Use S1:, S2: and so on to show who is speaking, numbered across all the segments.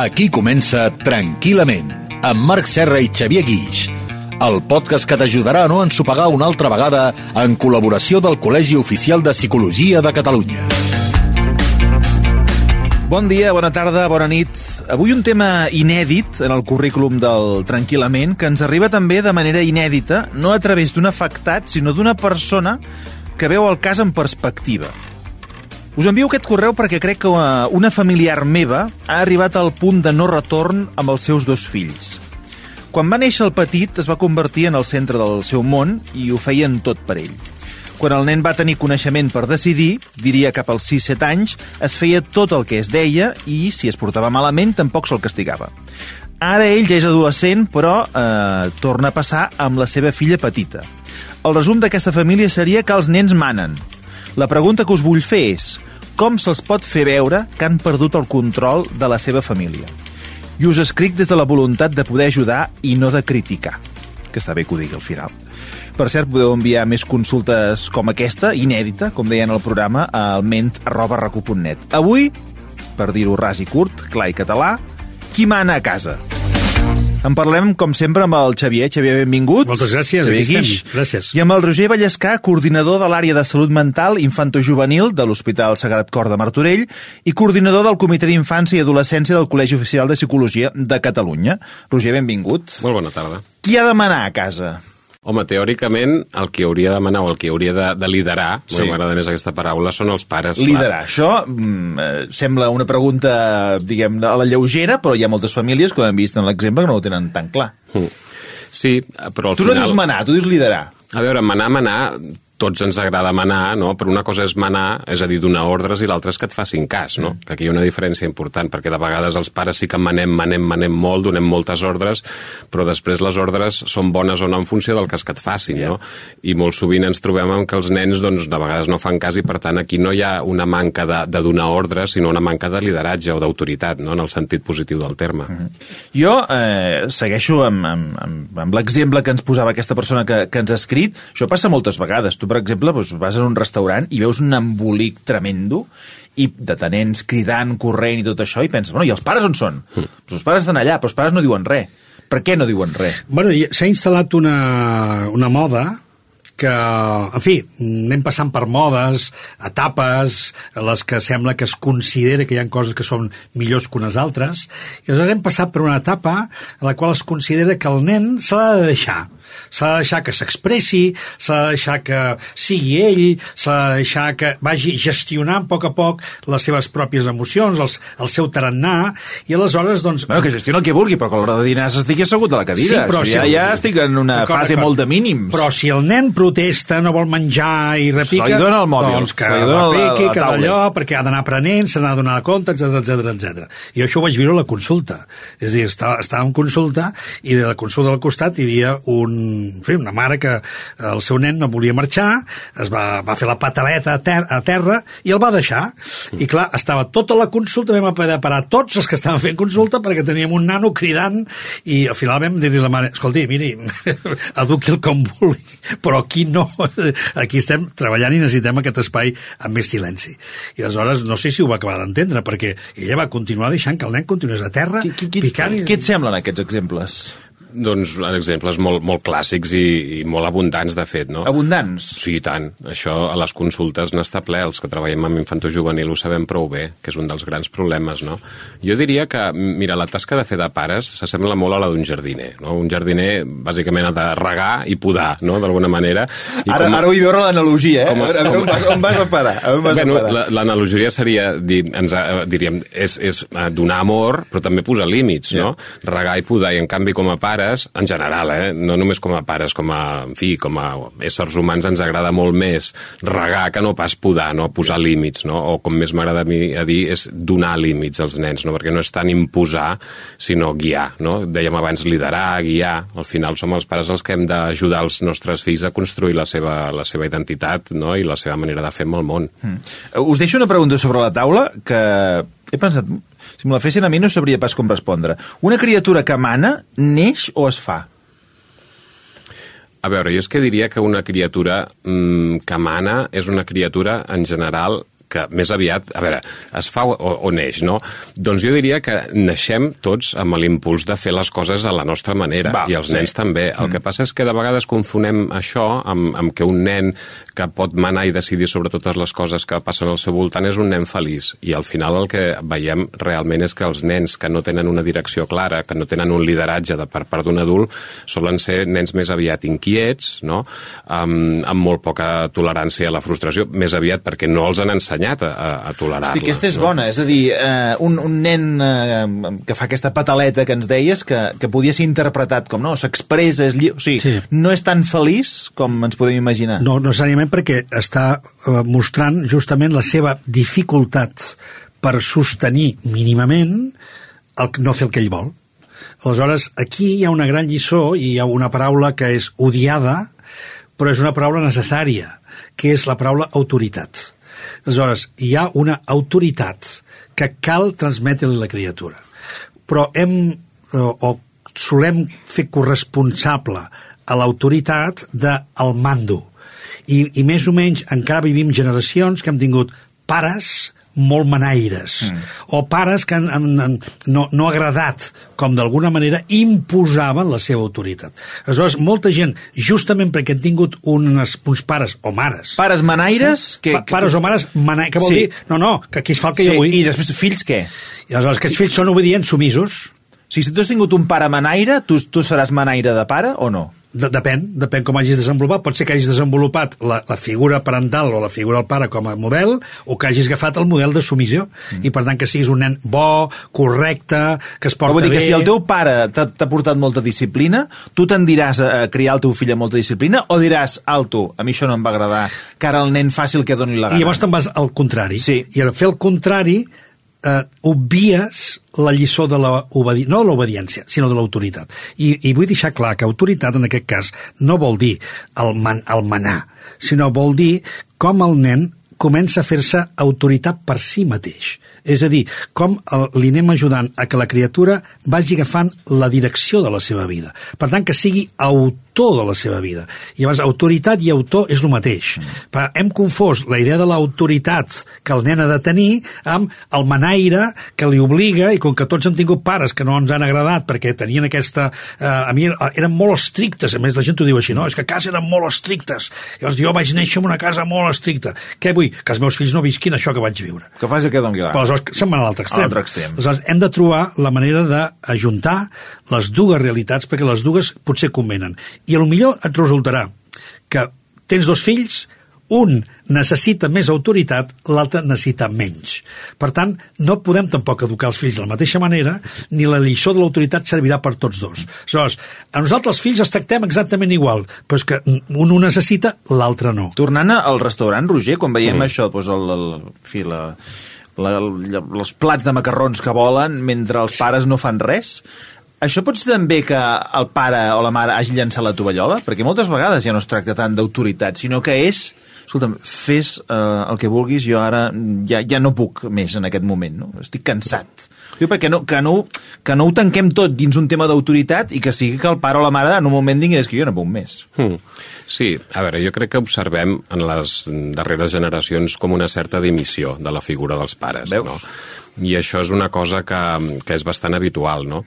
S1: Aquí comença Tranquil·lament, amb Marc Serra i Xavier Guix, el podcast que t'ajudarà a no ensopegar una altra vegada en col·laboració del Col·legi Oficial de Psicologia de Catalunya.
S2: Bon dia, bona tarda, bona nit. Avui un tema inèdit en el currículum del Tranquil·lament, que ens arriba també de manera inèdita, no a través d'un afectat, sinó d'una persona que veu el cas en perspectiva. Us envio aquest correu perquè crec que una familiar meva ha arribat al punt de no retorn amb els seus dos fills. Quan va néixer el petit es va convertir en el centre del seu món i ho feien tot per ell. Quan el nen va tenir coneixement per decidir, diria cap als 6-7 anys, es feia tot el que es deia i, si es portava malament, tampoc se'l castigava. Ara ell ja és adolescent, però torna a passar amb la seva filla petita. El resum d'aquesta família seria que els nens manen. La pregunta que us vull fer és: com se'ls pot fer veure que han perdut el control de la seva família? I us escric des de la voluntat de poder ajudar i no de criticar. Que està bé que ho digui al final. Per cert, podeu enviar més consultes com aquesta, inèdita, com deien al programa, al ment@recu.net. Avui, per dir-ho ras i curt, clar i català, qui mana a casa? En parlem, com sempre, amb el Xavier. Xavier, benvingut.
S3: Moltes gràcies,
S2: Xavier
S3: aquí
S2: Guix.
S3: estem. Gràcies.
S2: I amb el Roger Vallescà, coordinador de l'àrea de salut mental infantojuvenil de l'Hospital Sagrat Cor de Martorell i coordinador del Comitè d'Infància i Adolescència del Col·legi Oficial de Psicologia de Catalunya. Roger, benvingut.
S4: Molt bona tarda.
S2: Qui ha de manar a casa?
S4: Home, teòricament, el que hauria de manar o el que hauria de liderar, sí. M'agrada més aquesta paraula, són els pares.
S2: Liderar, això sembla una pregunta, diguem, a la lleugera, però hi ha moltes famílies, com hem vist en l'exemple, que no ho tenen tan clar.
S4: Sí, però al
S2: final... Tu no dius manar, tu dius liderar.
S4: A veure, manar, tots ens agrada manar, no? Però una cosa és manar, és a dir, donar ordres, i l'altra és que et facin cas, no? Que aquí hi ha una diferència important, perquè de vegades els pares sí que manem molt, donem moltes ordres, però després les ordres són bones o no en funció del cas que et facin, no? I molt sovint ens trobem amb que els nens, doncs, de vegades no fan cas, i per tant aquí no hi ha una manca de donar ordres, sinó una manca de lideratge o d'autoritat, no? En el sentit positiu del terme.
S2: Jo segueixo amb l'exemple que ens posava aquesta persona que ens ha escrit. Això passa moltes vegades. Tu, per exemple, vas a un restaurant i veus un embolic tremendo i de nens cridant, corrent i tot això, i penses, bueno, i els pares on són? Els pares estan allà, però els pares no diuen res. Per què no diuen res?
S3: Bueno, s'ha instal·lat una moda que, en fi, anem passant per modes, etapes, les que sembla que es considera que hi ha coses que són millors que unes altres, i aleshores hem passat per una etapa en la qual es considera que el nen se l'ha de deixar. S'ha de deixar que s'expressi, s'ha de deixar que sigui ell, s'ha de deixar que vagi gestionant a poc les seves pròpies emocions, el seu tarannà, i aleshores, doncs...
S2: Bueno, que gestioni el que vulgui, però que a l'hora de dinar s'estigui assegut a la cadira.
S3: Sí, però
S2: ja estic en una fase molt de mínims.
S3: Però si el nen protesta, no vol menjar i repica...
S2: Se li dona el mòbil.
S3: Doncs que repiqui, que d'allò, perquè ha d'anar aprenent, se n'ha de donar compte, etc. I això ho vaig viure a la consulta. És a dir, estava en consulta, i de la consulta al costat hi havia una mare que el seu nen no volia marxar, es va fer la pataleta a terra i el va deixar. I clar, estava tota la consulta, vam haver de parar tots els que estaven fent consulta perquè teníem un nano cridant, i al final vam dir-li a la mare, escolti, miri, eduqui'l com vulgui, però aquí no, aquí estem treballant i necessitem aquest espai amb més silenci. I aleshores no sé si ho va acabar d'entendre, perquè ella va continuar deixant que el nen continués a terra picant.
S2: Què et semblen aquests exemples?
S4: Doncs exemples molt clàssics i molt abundants, de fet, no?
S2: Abundants?
S4: Sí, i tant. Això a les consultes n'està ple. Els que treballem amb infantojuvenil ho sabem prou bé, que és un dels grans problemes, no? Jo diria que, mira, la tasca de fer de pares s'assembla molt a la d'un jardiner, no? Un jardiner, bàsicament, ha de regar i podar, no?, d'alguna manera.
S2: Ara vull veure l'analogia, eh? On vas a parar?
S4: L'analogia seria, diríem, és donar amor, però també posar límits, no? Regar i podar, i en canvi, com a pares, en general, no només com a pares, com a éssers humans, ens agrada molt més regar que no pas podar, no? Posar límits, no? O com més m'agrada a mi a dir, és donar límits als nens, no? Perquè no és tant imposar, sinó guiar, no? Dèiem abans liderar, guiar. Al final som els pares els que hem d'ajudar els nostres fills a construir la seva identitat, no? I la seva manera de fer amb el món.
S2: Us deixo una pregunta sobre la taula que he pensat, si me la fessin a mi no sabria pas com respondre. Una criatura que mana neix o es fa?
S4: A veure, jo és que diria que una criatura que mana és una criatura, en general, que més aviat, a veure, es fa o neix, no? Doncs jo diria que naixem tots amb l'impuls de fer les coses a la nostra manera, i els nens també. El que passa és que de vegades confonem això amb que un nen que pot manar i decidir sobre totes les coses que passen al seu voltant és un nen feliç, i al final el que veiem realment és que els nens que no tenen una direcció clara, que no tenen un lideratge per part d'un adult, solen ser nens més aviat inquiets, no? Amb molt poca tolerància a la frustració, més aviat perquè no els han ensenyat a tolerar-la.
S2: Hosti, aquesta és bona, és a dir, un nen que fa aquesta pataleta que ens deies, que podia ser interpretat com, no, s'expressa, o sigui, no és tan feliç com ens podem imaginar.
S3: No necessàriament, perquè està mostrant justament la seva dificultat per sostenir mínimament no fer el que ell vol. Aleshores, aquí hi ha una gran lliçó i hi ha una paraula que és odiada, però és una paraula necessària, que és la paraula autoritat. Aleshores, hi ha una autoritat que cal transmetre-li a la criatura. Però solem fer corresponsable a l'autoritat del mando. I més o menys encara vivim generacions que hem tingut pares molt manaires, o pares que no ha agradat, com d'alguna manera imposaven la seva autoritat. Aleshores, molta gent, justament perquè han tingut uns pares o mares...
S2: Pares manaires?
S3: Pares o mares manaires, que vol dir... No, que aquí es fa el que jo vull.
S2: I després, fills què?
S3: I aleshores, aquests fills són obedients, sumisos.
S2: Si tu has tingut un pare manaire, tu seràs manaire de pare o no?
S3: Depèn com hagis desenvolupat. Pot ser que hagis desenvolupat la figura parental o la figura del pare com a model, o que hagis agafat el model de submissió, i per tant que siguis un nen bo, correcte, que es porta bé.
S2: Vull dir que si el teu pare t'ha portat molta disciplina, tu tendiràs a criar el teu fill amb molta disciplina, o diràs, alto, a mi això no em va agradar, que ara el nen faci el que doni la gana.
S3: I llavors te'n vas al contrari.
S2: Sí.
S3: I al fer el contrari obvies la lliçó de no de l'obediència, sinó de l'autoritat. I vull deixar clar que autoritat, en aquest cas, no vol dir el manar, sinó vol dir com el nen comença a fer-se autoritat per si mateix. És a dir, com li anem ajudant a que la criatura vagi agafant la direcció de la seva vida. Per tant, que sigui autor de la seva vida. I llavors, autoritat i autor és el mateix. Però hem confós la idea de l'autoritat que el nen ha de tenir amb el manaire que li obliga, i com que tots hem tingut pares que no ens han agradat perquè tenien aquesta... a mi eren molt estrictes, a més la gent ho diu així, no? És que a casa eren molt estrictes. Llavors jo vaig néixer en una casa molt estricta. Què vull? Que els meus fills no visquin això que vaig viure.
S2: Que faci el que doni la gana.
S3: Però aleshores se'n van a l'altre extrem. Aleshores hem de trobar la manera d'ajuntar les dues realitats, perquè les dues potser convenen. I potser et resultarà que tens dos fills, un necessita més autoritat, l'altre necessita menys. Per tant, no podem tampoc educar els fills de la mateixa manera, ni la lliçó de l'autoritat servirà per tots dos. Aleshores, a nosaltres els fills els tractem exactament igual, però és que un ho necessita, l'altre no.
S2: Tornant al restaurant, Roger, quan veiem això, doncs els plats de macarrons que volen mentre els pares no fan res, això pot ser també que el pare o la mare hagi llançat la tovallola? Perquè moltes vegades ja no es tracta tant d'autoritat, sinó que és, escolta'm, fes el que vulguis, jo ara ja no puc més en aquest moment, no? Estic cansat. Perquè que no ho tanquem tot dins un tema d'autoritat i que sigui que el pare o la mare en un moment diguin que jo no puc més.
S4: Sí, a veure, jo crec que observem en les darreres generacions com una certa dimissió de la figura dels pares.
S2: Veus?
S4: No? I això és una cosa que és bastant habitual, no?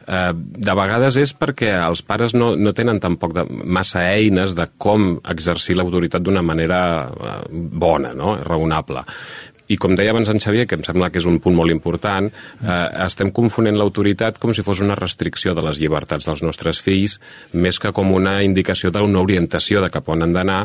S4: De vegades és perquè els pares no tenen tampoc massa eines de com exercir l'autoritat d'una manera bona, no? Raonable. I com deia abans en Xavier, que em sembla que és un punt molt important, estem confonent l'autoritat com si fos una restricció de les llibertats dels nostres fills, més que com una indicació d'una orientació de cap on han d'anar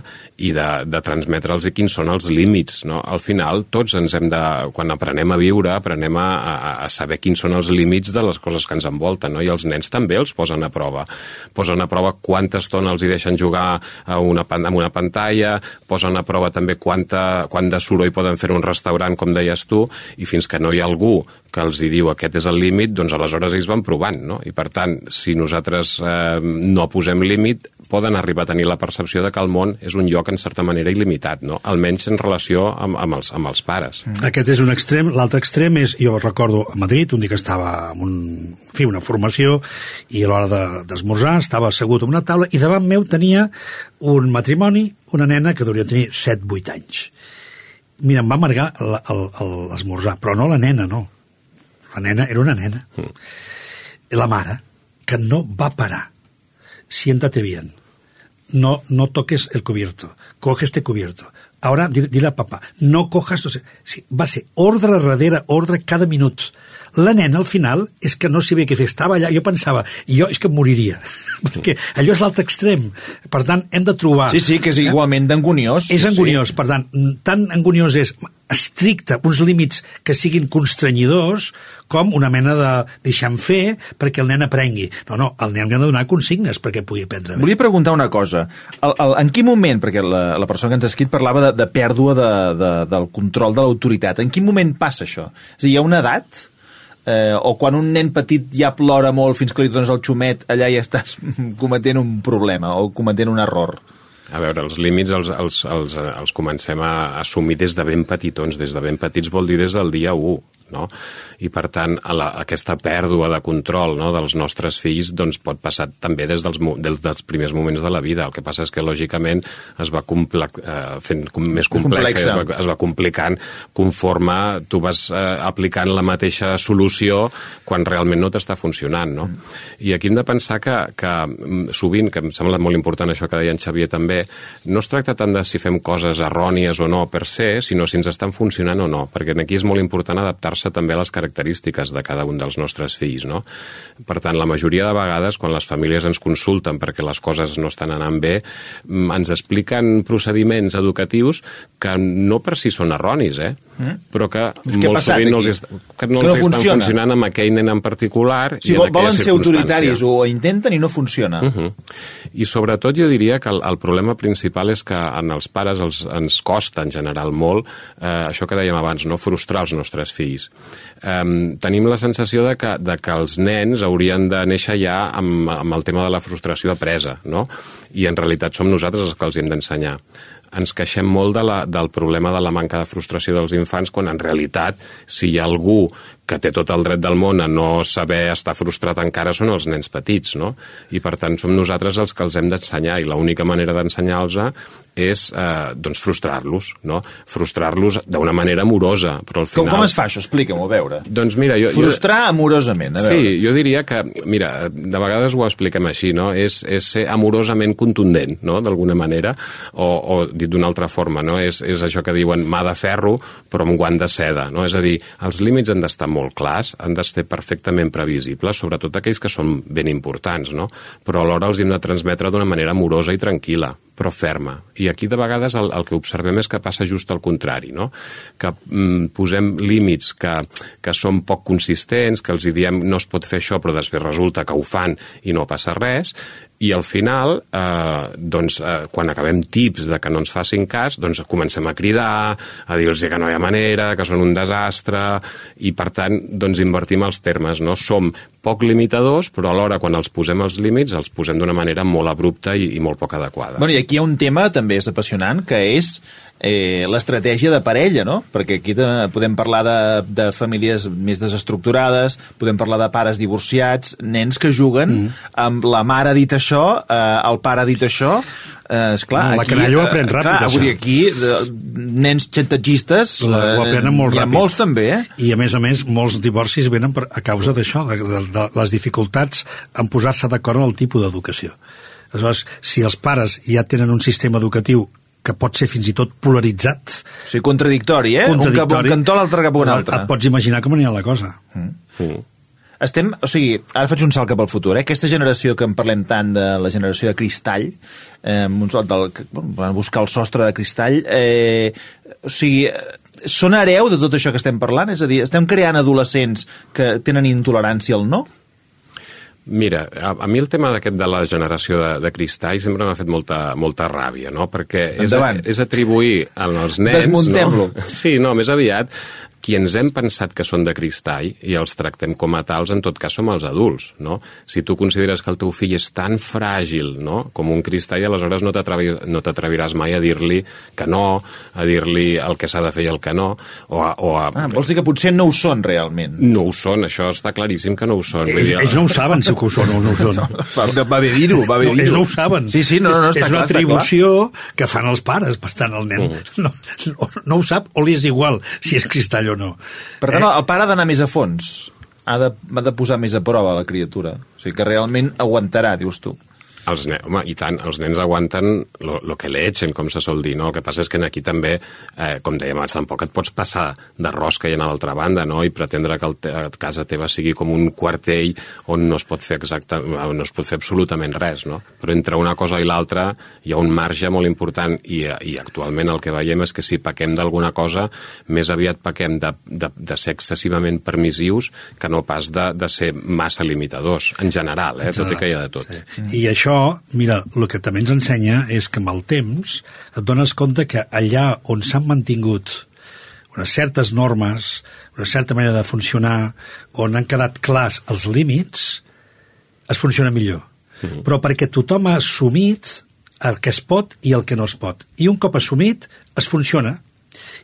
S4: i de transmetre'ls quins són els límits, no? Al final, tots ens hem de... Quan aprenem a viure, aprenem a saber quins són els límits de les coses que ens envolten, no? I els nens també els posen a prova. Posen a prova quanta estona els hi deixen jugar amb una pantalla, posen a prova també quant de soroll poden fer un restaurant, com deies tu, i fins que no hi ha algú que els hi diu aquest és el límit, doncs aleshores ells van provant, no? I per tant, si nosaltres no posem límit, poden arribar a tenir la percepció de que el món és un lloc en certa manera il·limitat, no? Almenys en relació amb els pares.
S3: Aquest és un extrem. L'altre extrem és, jo recordo a Madrid, un dia que estava en una formació, i a l'hora d'esmorzar estava assegut en una taula i davant meu tenia un matrimoni, una nena que hauria de tenir 7-8 anys. Mira, em va amargar l'esmorzar, però no la nena, no. La nena era una nena. La mare, que no va parar. Siéntate bien. No toques el cubierto. Coge este cubierto. Ahora dile a papá, no cojas... Sí, va ser ordre darrere ordre cada minut. La nena, al final, és que no sabia què fer. Estava allà, jo pensava, és que em moriria. Perquè allò és l'altre extrem. Per tant, hem de trobar...
S2: Sí, que és igualment d'anguniós.
S3: És anguniós, per tant, tan anguniós és estricte, uns límits que siguin constranyidors, com una mena de deixar-me fer perquè el nen aprengui. No, el nen ha de donar consignes perquè pugui aprendre bé.
S2: Volia preguntar una cosa. En quin moment, perquè la persona que ens ha escrit parlava de pèrdua del control de l'autoritat, en quin moment passa això? És a dir, hi ha una edat... o quan un nen petit ja plora molt fins que li dones el xumet, allà ja estàs cometent un problema o cometent un error.
S4: A veure, els límits els comencem a assumir des de ben petitons. Des de ben petits vol dir des del dia 1. No? I per tant aquesta pèrdua de control, no, dels nostres fills doncs pot passar també des dels primers moments de la vida. El que passa és que lògicament es va fent més complexa, es va complicant conforme tu vas aplicant la mateixa solució quan realment no t'està funcionant, no? I aquí hem de pensar que sovint, que em sembla molt important això que deia en Xavier també, no es tracta tant de si fem coses errònies o no per se, sinó si ens estan funcionant o no, perquè aquí és molt important adaptar-se també a les característiques de cada un dels nostres fills, no? Per tant, la majoria de vegades, quan les famílies ens consulten perquè les coses no estan anant bé, ens expliquen procediments educatius que no per si són erronis, però que molt sovint no els estan funcionant amb aquell nen en particular i en aquella circumstància.
S2: Volen ser autoritaris o intenten i no funciona.
S4: I sobretot jo diria que el problema principal és que en els pares ens costa en general molt això que dèiem abans, no frustrar els nostres fills. Tenim la sensació de que els nens haurien de néixer ja amb el tema de la frustració apresa, no? I en realitat som nosaltres els que els hem d'ensenyar. Ens queixem molt del problema de la manca de frustració dels infants, quan en realitat, si hi ha algú que té tot el dret del món a no saber estar frustrat encara, són els nens petits, no? I per tant som nosaltres els que els hem d'ensenyar, i l'única manera d'ensenyar-los és doncs frustrar-los, no? Frustrar-los d'una manera amorosa, però al final...
S2: Com es fa això? Explica-m'ho, a veure.
S4: Doncs mira,
S2: frustrar amorosament, a veure.
S4: Sí, jo diria que, mira, de vegades ho expliquem així, no? És ser amorosament contundent, no?, d'alguna manera, o dit d'una altra forma, no? És això que diuen mà de ferro, però amb guant de seda, no? És a dir, els límits han d'estar molt clars, han d'estar perfectament previsibles, sobretot aquells que són ben importants, no? Però alhora els hem de transmetre d'una manera amorosa i tranquil·la, però ferma. I aquí de vegades el que observem és que passa just al contrari, no? Que posem límits que són poc consistents, que els diem no es pot fer això, però després resulta que ho fan i no passa res, i al final, quan acabem tips de que no ens facin cas, doncs comencem a cridar, a dir-los que no hi ha manera, que són un desastre, i per tant, doncs invertim els termes, no? Som poc limitadors, però alhora quan els posem els límits, els posem d'una manera molt abrupta i molt poc adequada.
S2: Bueno, i aquí hi ha un tema també és apassionant, que és l'estratègia de parella, no? Perquè aquí podem parlar de famílies més desestructurades, podem parlar de pares divorciats, nens que juguen amb la mare ha dit això, el pare ha dit això, esclar,
S3: la canalla ho aprèn ràpid,
S2: això. Vull dir, aquí nens xantatgistes
S3: ho aprenen molt ràpid.
S2: Hi ha molts també,
S3: I a més, molts divorcis venen a causa d'això, de les dificultats en posar-se d'acord en el tipus d'educació. Aleshores, si els pares ja tenen un sistema educatiu que pot ser fins i tot polaritzat.
S2: O sigui, contradictori, Un cap a un cantó, l'altre cap a un altre.
S3: Et pots imaginar com anirà la cosa.
S2: O sigui, ara faig un salt cap al futur, Aquesta generació que en parlem tant de la generació de cristall, van buscar el sostre de cristall, o sigui, són hereu de tot això que estem parlant? És a dir, estem creant adolescents que tenen intolerància al no?
S4: Mira, a mi el tema d'aquest de la generació de cristall sempre m'ha fet molta ràbia, no? Perquè és atribuir als nens...
S2: Desmuntem-lo.
S4: No? Sí, no, més aviat qui ens hem pensat que són de cristall i els tractem com a tals, en tot cas som els adults, no? Si tu consideres que el teu fill és tan fràgil, no?, com un cristall, aleshores no t'atreviràs mai a dir-li que no, a dir-li el que s'ha de fer i el que no,
S2: vols dir que potser no ho són realment?
S4: No ho són, això està claríssim que no ho són.
S3: Ells no ho saben si ho són o no ho són.
S2: Va bé dir-ho, va bé dir-ho.
S3: Ells no ho saben.
S2: Sí, no, està clar.
S3: És una atribució que fan els pares, per tant el nen no ho sap o li és igual si és cristall o no.
S2: Per tant, el pare ha d'anar més a fons, ha de posar més a prova la criatura, o sigui que realment aguantarà, dius tu.
S4: Home, i tant, els nens aguanten lo que le echen, com se sol dir, no? El que passa és que aquí també, com dèiem abans, tampoc et pots passar de rosca i anar a l'altra banda, no?, i pretendre que casa teva sigui com un quartell on no es pot fer absolutament res, no? Però entre una cosa i l'altra hi ha un marge molt important i actualment el que veiem és que si pequem d'alguna cosa, més aviat pequem de ser excessivament permissius que no pas de ser massa limitadors, en general, tot i que hi ha de tot.
S3: Sí. I això, mira, el que també ens ensenya és que amb el temps et dones compte que allà on s'han mantingut unes certes normes, una certa manera de funcionar, on han quedat clars els límits, es funciona millor. Però perquè tothom ha assumit el que es pot i el que no es pot. I un cop assumit, es funciona.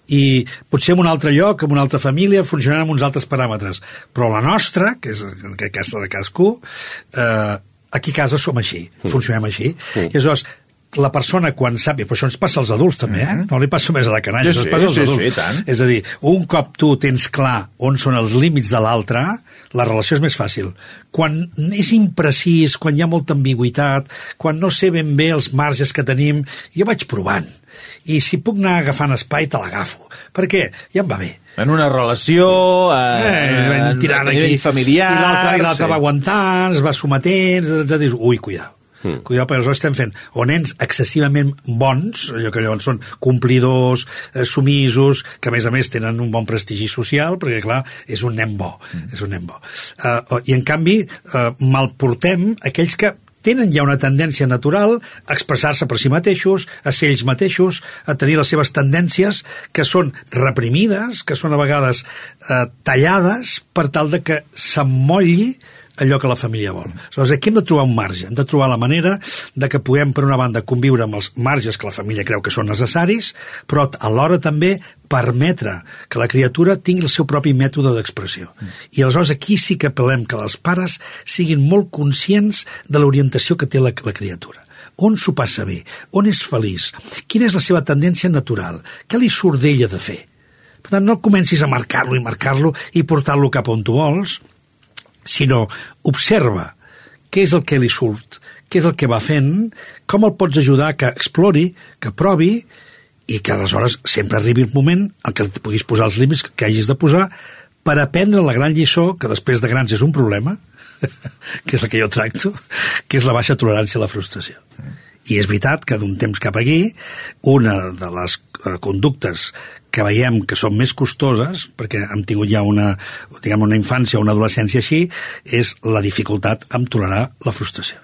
S3: I potser en un altre lloc, en una altra família, funcionarà amb uns altres paràmetres. Però la nostra, que és aquesta de cadascú, aquí a casa som així, funcionem així. I aleshores, la persona quan sap, i per això ens passa als adults també, no li passa més a la canalla, ens passa als adults.
S2: Tant.
S3: És a dir, un cop tu tens clar on són els límits de l'altre, la relació és més fàcil. Quan és imprecís, quan hi ha molta ambigüitat, quan no sé ben bé els marges que tenim, jo vaig provant. I si puc anar agafant espai, te l'agafo. Per què? Ja em va bé.
S2: En una relació,
S3: tirant a nivell
S2: familiar...
S3: I l'altre va aguantant, es va sometent, dius, ui, cuidao. Cuidao, perquè aleshores estem fent o nens excessivament bons, allò que llavors són complidors, sumisos, que a més tenen un bon prestigi social, perquè clar, és un nen bo. I en canvi, malportem aquells que tenen ja una tendència natural a expressar-se per si mateixos, a ser ells mateixos, a tenir les seves tendències que són reprimides, que són a vegades tallades per tal de que s'emmolli allò que la família vol. Aleshores, aquí hem de trobar un marge, hem de trobar la manera de que puguem, per una banda, conviure amb els marges que la família creu que són necessaris, però alhora també permetre que la criatura tingui el seu propi mètode d'expressió. I aleshores aquí sí que apel·lem que els pares siguin molt conscients de l'orientació que té la criatura. On s'ho passa bé? On és feliç? Quina és la seva tendència natural? Què li surt d'ella de fer? Per tant, no comencis a marcar-lo i portar-lo cap on tu vols, sinó observa què és el que li surt, què és el que va fent, com el pots ajudar que explori, que provi, i que aleshores sempre arribi el moment en què puguis posar els límits que hagis de posar per aprendre la gran lliçó, que després de grans és un problema, que és la que jo tracto, que és la baixa tolerància a la frustració. I és veritat que d'un temps cap aquí, una de les conductes que veiem que són més costoses, perquè hem tingut ja una infància o una adolescència així, és la dificultat en tolerar la frustració.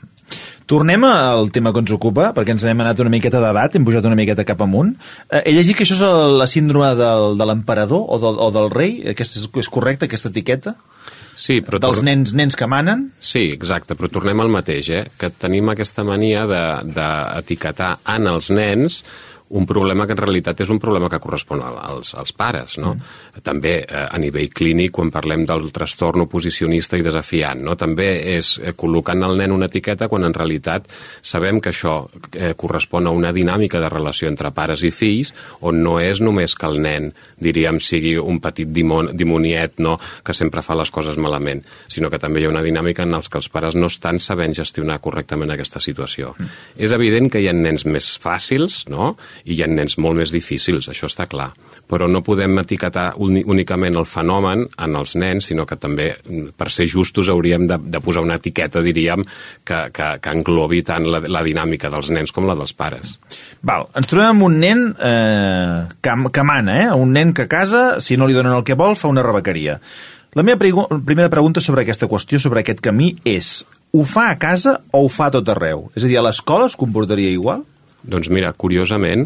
S2: Tornem al tema que ens ocupa, perquè ens hem anat una miqueta d'edat, hem pujat una miqueta cap amunt. He llegit que això és la síndrome de l'emperador o del rei, és correcte, aquesta etiqueta?
S4: Sí, però
S2: dels nens que manen?
S4: Sí, exacte, però tornem al mateix, que tenim aquesta mania d'etiquetar en els nens un problema que en realitat és un problema que correspon als pares, no? També a nivell clínic, quan parlem del trastorn oposicionista i desafiant, no? També és col·locant al nen una etiqueta quan en realitat sabem que això correspon a una dinàmica de relació entre pares i fills on no és només que el nen, diríem, sigui un petit dimoniet, no?, que sempre fa les coses malament, sinó que també hi ha una dinàmica en què els pares no estan sabent gestionar correctament aquesta situació. És evident que hi ha nens més fàcils, no?, i hi ha nens molt més difícils, això està clar. Però no podem etiquetar únicament el fenomen en els nens, sinó que també, per ser justos, hauríem de posar una etiqueta, diríem, que englobi tant la dinàmica dels nens com la dels pares.
S2: Val, ens trobem amb un nen que mana, un nen que a casa, si no li donen el que vol, fa una rebequeria. La meva primera pregunta sobre aquesta qüestió, sobre aquest camí, és: ho fa a casa o ho fa a tot arreu? És a dir, a l'escola es comportaria igual?
S4: Doncs mira, curiosament,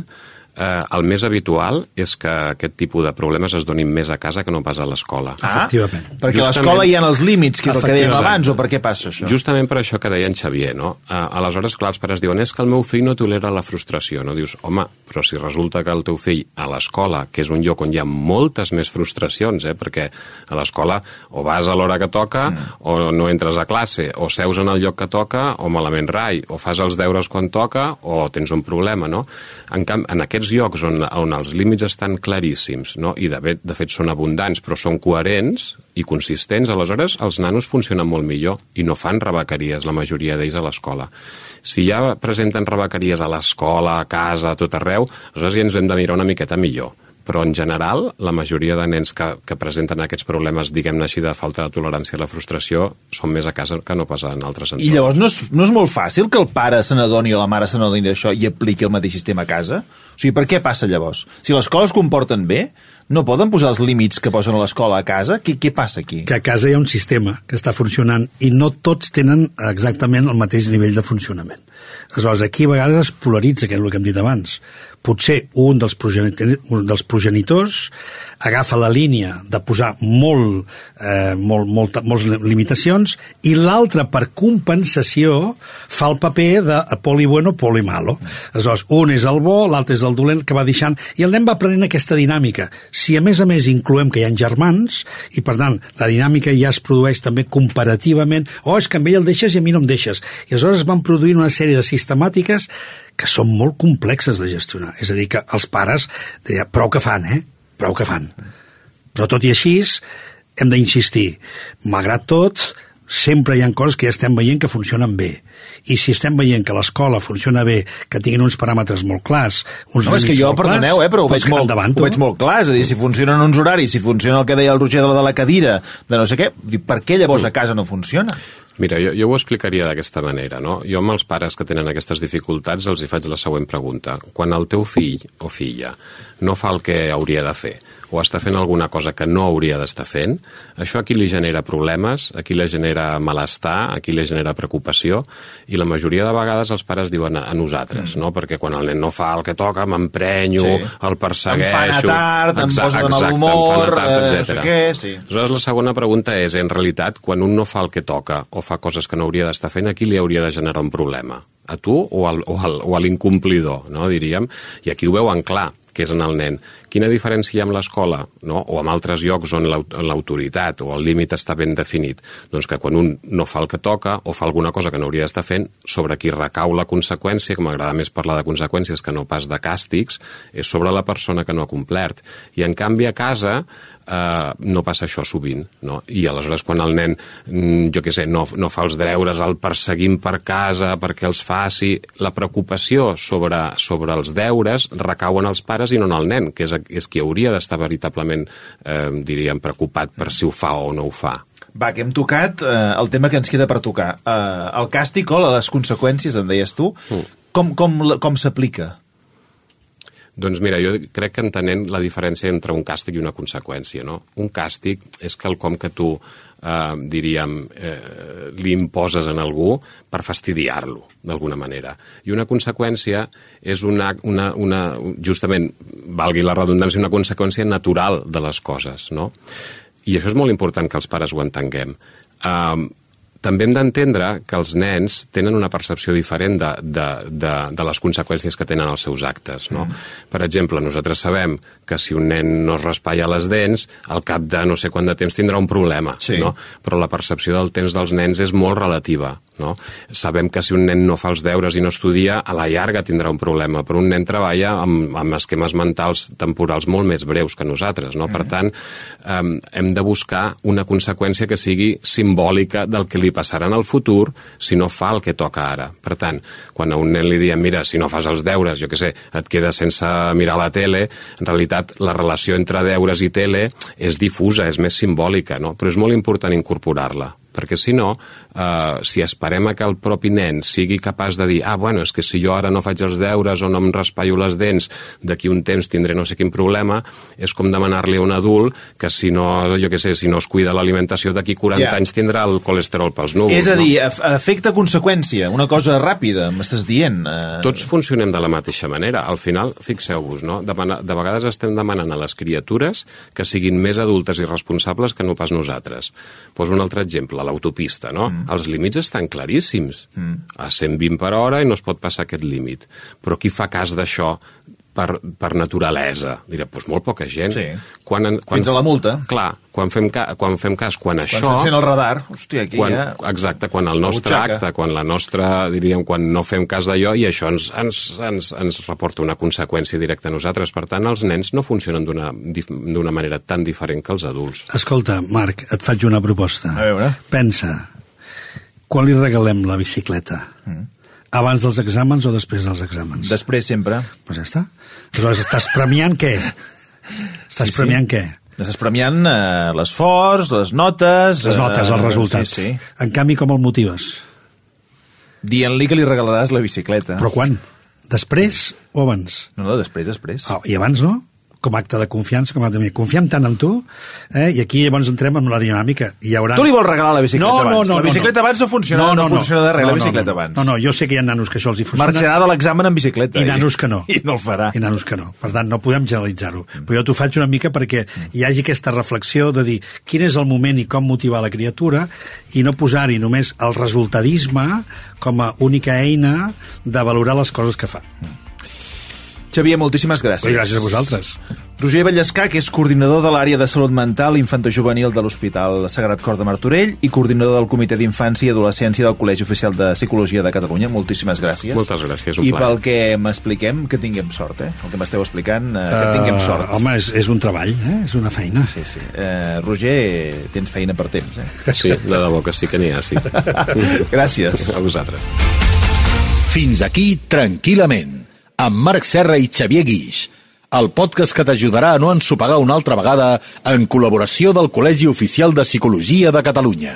S4: el més habitual és que aquest tipus de problemes es donin més a casa que no pas a l'escola.
S3: Efectivament.
S2: Perquè a l'escola hi ha els límits, que és el que dèiem abans, o per què passa això?
S4: Justament per això que deia en Xavier, no? Aleshores, clar, els pares diuen, és que el meu fill no tolera la frustració, no? Dius, home, però si resulta que el teu fill a l'escola, que és un lloc on hi ha moltes més frustracions, perquè a l'escola o vas a l'hora que toca, o no entres a classe, o seus en el lloc que toca, o malament rai, o fas els deures quan toca, o tens un problema, no? En aquests llocs on els límits estan claríssims, no? I de fet són abundants, però són coherents i consistents, aleshores els nanos funcionen molt millor i no fan rebequeries, la majoria d'ells a l'escola. Si ja presenten rebequeries a l'escola, a casa, a tot arreu, aleshores ja ens hem de mirar una miqueta millor. Però en general, la majoria de nens que presenten aquests problemes, diguem-ne així, de falta de tolerància a la frustració, són més a casa que no pas en altres entorns.
S2: I llavors no és molt fàcil que el pare se n'adoni o la mare se n'adoni d'això i apliqui el mateix sistema a casa? O sigui, per què passa llavors? Si l'escola es comporten bé, no poden posar els límits que posen a l'escola a casa? Què passa aquí?
S3: Que a casa hi ha un sistema que està funcionant i no tots tenen exactament el mateix nivell de funcionament. Aleshores, aquí a vegades es polaritza, que és el que hem dit abans. Potser un dels progenitors agafa la línia de posar moltes limitacions i l'altre, per compensació, fa el paper de poli bueno, poli malo. Aleshores, un és el bo, l'altre és el dolent, que va deixant, i el nen va aprenent aquesta dinàmica. Si a més incloem que hi ha germans, i per tant la dinàmica ja es produeix també comparativament, és que amb ell el deixes i a mi no em deixes. I aleshores van produint una sèrie de sistemàtiques que són molt complexes de gestionar. És a dir, que els pares deien, prou que fan. Però tot i així hem d'insistir. Malgrat tot, sempre hi ha coses que ja estem veient que funcionen bé. I si estem veient que l'escola funciona bé, que tinguin uns paràmetres molt clars, uns límits molt clars...
S2: És que jo, perdoneu, però ho veig molt clar. És a dir, si funcionen uns horaris, si funciona el que deia el Roger de la cadira, de no sé què, per què llavors a casa no funciona?
S4: Mira, jo ho explicaria d'aquesta manera, no? Jo amb els pares que tenen aquestes dificultats els hi faig la següent pregunta. Quan el teu fill o filla no fa el que hauria de fer, o està fent alguna cosa que no hauria d'estar fent, això a qui li genera problemes, a qui li genera malestar, a qui li genera preocupació, i la majoria de vegades els pares diuen a nosaltres, no? Perquè quan el nen no fa el que toca, m'emprenyo, el persegueixo...
S2: Em fa anar tard, em posa de mal humor,
S4: no
S2: sé què, sí.
S4: Aleshores, la segona pregunta és, en realitat, quan un no fa el que toca o fa coses que no hauria d'estar fent, a qui li hauria de generar un problema? A tu o a l'incomplidor, no, diríem? I aquí ho veuen clar, que és en el nen. Quina diferència hi ha amb l'escola, no? O amb altres llocs on l'autoritat o el límit està ben definit? Doncs que quan un no fa el que toca o fa alguna cosa que no hauria d'estar fent, sobre qui recau la conseqüència, que m'agrada més parlar de conseqüències que no pas de càstigs, és sobre la persona que no ha complert. I en canvi a casa no passa això sovint, no? I aleshores quan el nen, jo què sé, no fa els deures, el perseguim per casa perquè els faci, la preocupació sobre els deures recau en els pares i no en el nen, que és qui hauria d'estar veritablement, diríem, preocupat per si ho fa o no ho fa.
S2: Va, que hem tocat el tema que ens queda per tocar. El càstig o les conseqüències, en deies tu, com s'aplica?
S4: Doncs mira, jo crec que entenent la diferència entre un càstig i una conseqüència, no? Un càstig és quelcom que tu, diríem, li imposes en algú per fastidiar-lo, d'alguna manera. I una conseqüència és justament, valgui la redundància, una conseqüència natural de les coses, no? I això és molt important que els pares ho entenguem. També hem d'entendre que els nens tenen una percepció diferent de les conseqüències que tenen els seus actes, no? Per exemple, nosaltres sabem que si un nen no es raspalla les dents, al cap de no sé quant de temps tindrà un problema, no? Però la percepció del temps dels nens és molt relativa, no? Sabem que si un nen no fa els deures i no estudia, a la llarga tindrà un problema, però un nen treballa amb esquemes mentals temporals molt més breus que nosaltres, no? Per tant, hem de buscar una conseqüència que sigui simbòlica del que li passarà en el futur si no fa el que toca ara. Per tant, quan a un nen li diem, mira, si no fas els deures, jo què sé, et quedes sense mirar la tele, en realitat la relació entre deures i tele és difusa, és més simbòlica, no? Però és molt important incorporar-la, perquè si no, si esperem a que el propi nen sigui capaç de dir bueno, és que si jo ara no faig els deures o no em raspallo les dents, d'aquí un temps tindré no sé quin problema, és com demanar-li a un adult que si no, jo què sé, si no es cuida l'alimentació d'aquí 40 anys tindrà el colesterol pels núvols.
S2: És a dir, efecte-conseqüència, una cosa ràpida, m'estàs dient.
S4: Tots funcionem de la mateixa manera. Al final, fixeu-vos, no? De vegades estem demanant a les criatures que siguin més adultes i responsables que no pas nosaltres. Poso un altre exemple, l'autopista, no? Els límits estan claríssims. A 120 per hora i no es pot passar aquest límit. Però qui fa cas d'això per naturalesa? Dirà, doncs molt poca gent.
S2: Sí. Fins a la multa.
S4: Clar, quan fem cas, quan això...
S2: Quan s'encén el radar, hòstia, aquí ja...
S4: Exacte, quan el nostre acte, quan la nostra, diríem, quan no fem cas d'allò, i això ens reporta una conseqüència directa a nosaltres. Per tant, els nens no funcionen d'una manera tan diferent que els adults.
S3: Escolta, Marc, et faig una proposta.
S2: A veure.
S3: Pensa, quan li regalem la bicicleta? Abans dels exàmens o després dels exàmens?
S2: Després, sempre.
S3: Doncs ja està. Aleshores, estàs premiant què? Premiant què?
S2: Estàs premiant l'esforç, les notes...
S3: Les notes, els resultats.
S2: Sí.
S3: En canvi, com el motives?
S2: Dient-li que li regalaràs la bicicleta.
S3: Però quan? Després o abans?
S2: No, després.
S3: I abans no? Com a acte de confiança, com a acte de... Confiem tant en tu, i aquí llavors entrem en la dinàmica. Tu
S2: li vols regalar la bicicleta abans? La bicicleta abans no funciona, no funciona de res, la bicicleta abans.
S3: No, jo sé que hi ha nanos que això els hi funciona.
S2: Marxarà de l'examen en bicicleta.
S3: I nanos que no.
S2: I no el farà.
S3: I nanos que no. Per tant, no podem generalitzar-ho. Però jo t'ho faig una mica perquè hi hagi aquesta reflexió de dir quin és el moment i com motivar la criatura i no posar-hi només el resultadisme com a única eina de valorar les coses que fa.
S2: Xavier, moltíssimes gràcies.
S3: Gràcies a vosaltres.
S2: Roger Vallescà, que és coordinador de l'àrea de salut mental infantojuvenil de l'Hospital Sagrat Cor de Martorell i coordinador del Comitè d'Infància i Adolescència del Col·legi Oficial de Psicologia de Catalunya. Moltíssimes gràcies.
S4: Moltes gràcies, un
S2: plaer. I pel que m'expliquem, que tinguem sort, El que m'esteu explicant, que tinguem sort.
S3: Home, és un treball, és una feina.
S2: Sí. Roger, tens feina per temps,
S4: Sí, de debò que sí que n'hi ha, sí.
S2: Gràcies.
S4: A vosaltres.
S1: Fins aquí, tranquil·lament, amb Marc Serra i Xavier Guix, el podcast que t'ajudarà a no ensopegar una altra vegada en col·laboració del Col·legi Oficial de Psicologia de Catalunya.